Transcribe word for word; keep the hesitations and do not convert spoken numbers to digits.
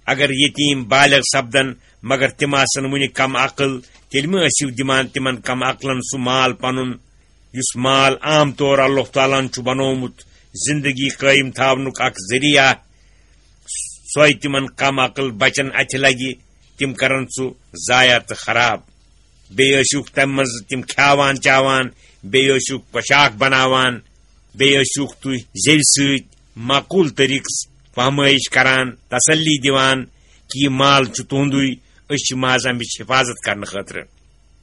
اگر یتیم بالغ سپدن مگر تِم آسن وُنہِ کم عقل، تیٚلہِ مہ ٲسِو دِوان تِمن کم عقلن سُہ مال پنُن، یُس مال عام طور اللہ تعالیٰ ہن چھُ بنوومُت زندگی قٲیِم تھاونُک اکھ ذٔریعہٕ۔ سۄے تِمن کم عقل بچن اتھِ لگہِ، تِم کرن سُہ ضایع تہٕ خراب۔ بیٚیہِ ٲسِوکھ تمہِ منٛز تِم کھیاوان چاوان، بیٚیہِ ٲسِوکھ پۄشاک بناوان، بیٚیہِ ٲسِوکھ تُہۍ زیوِ سۭتۍ معقول طریقس فہمٲیش کران، تسلی دِوان کہ یہِ مال چھُ تُہُنٛدُے، أسۍ چھِ محض امِچ حفاظت کرنہٕ خٲطرٕ۔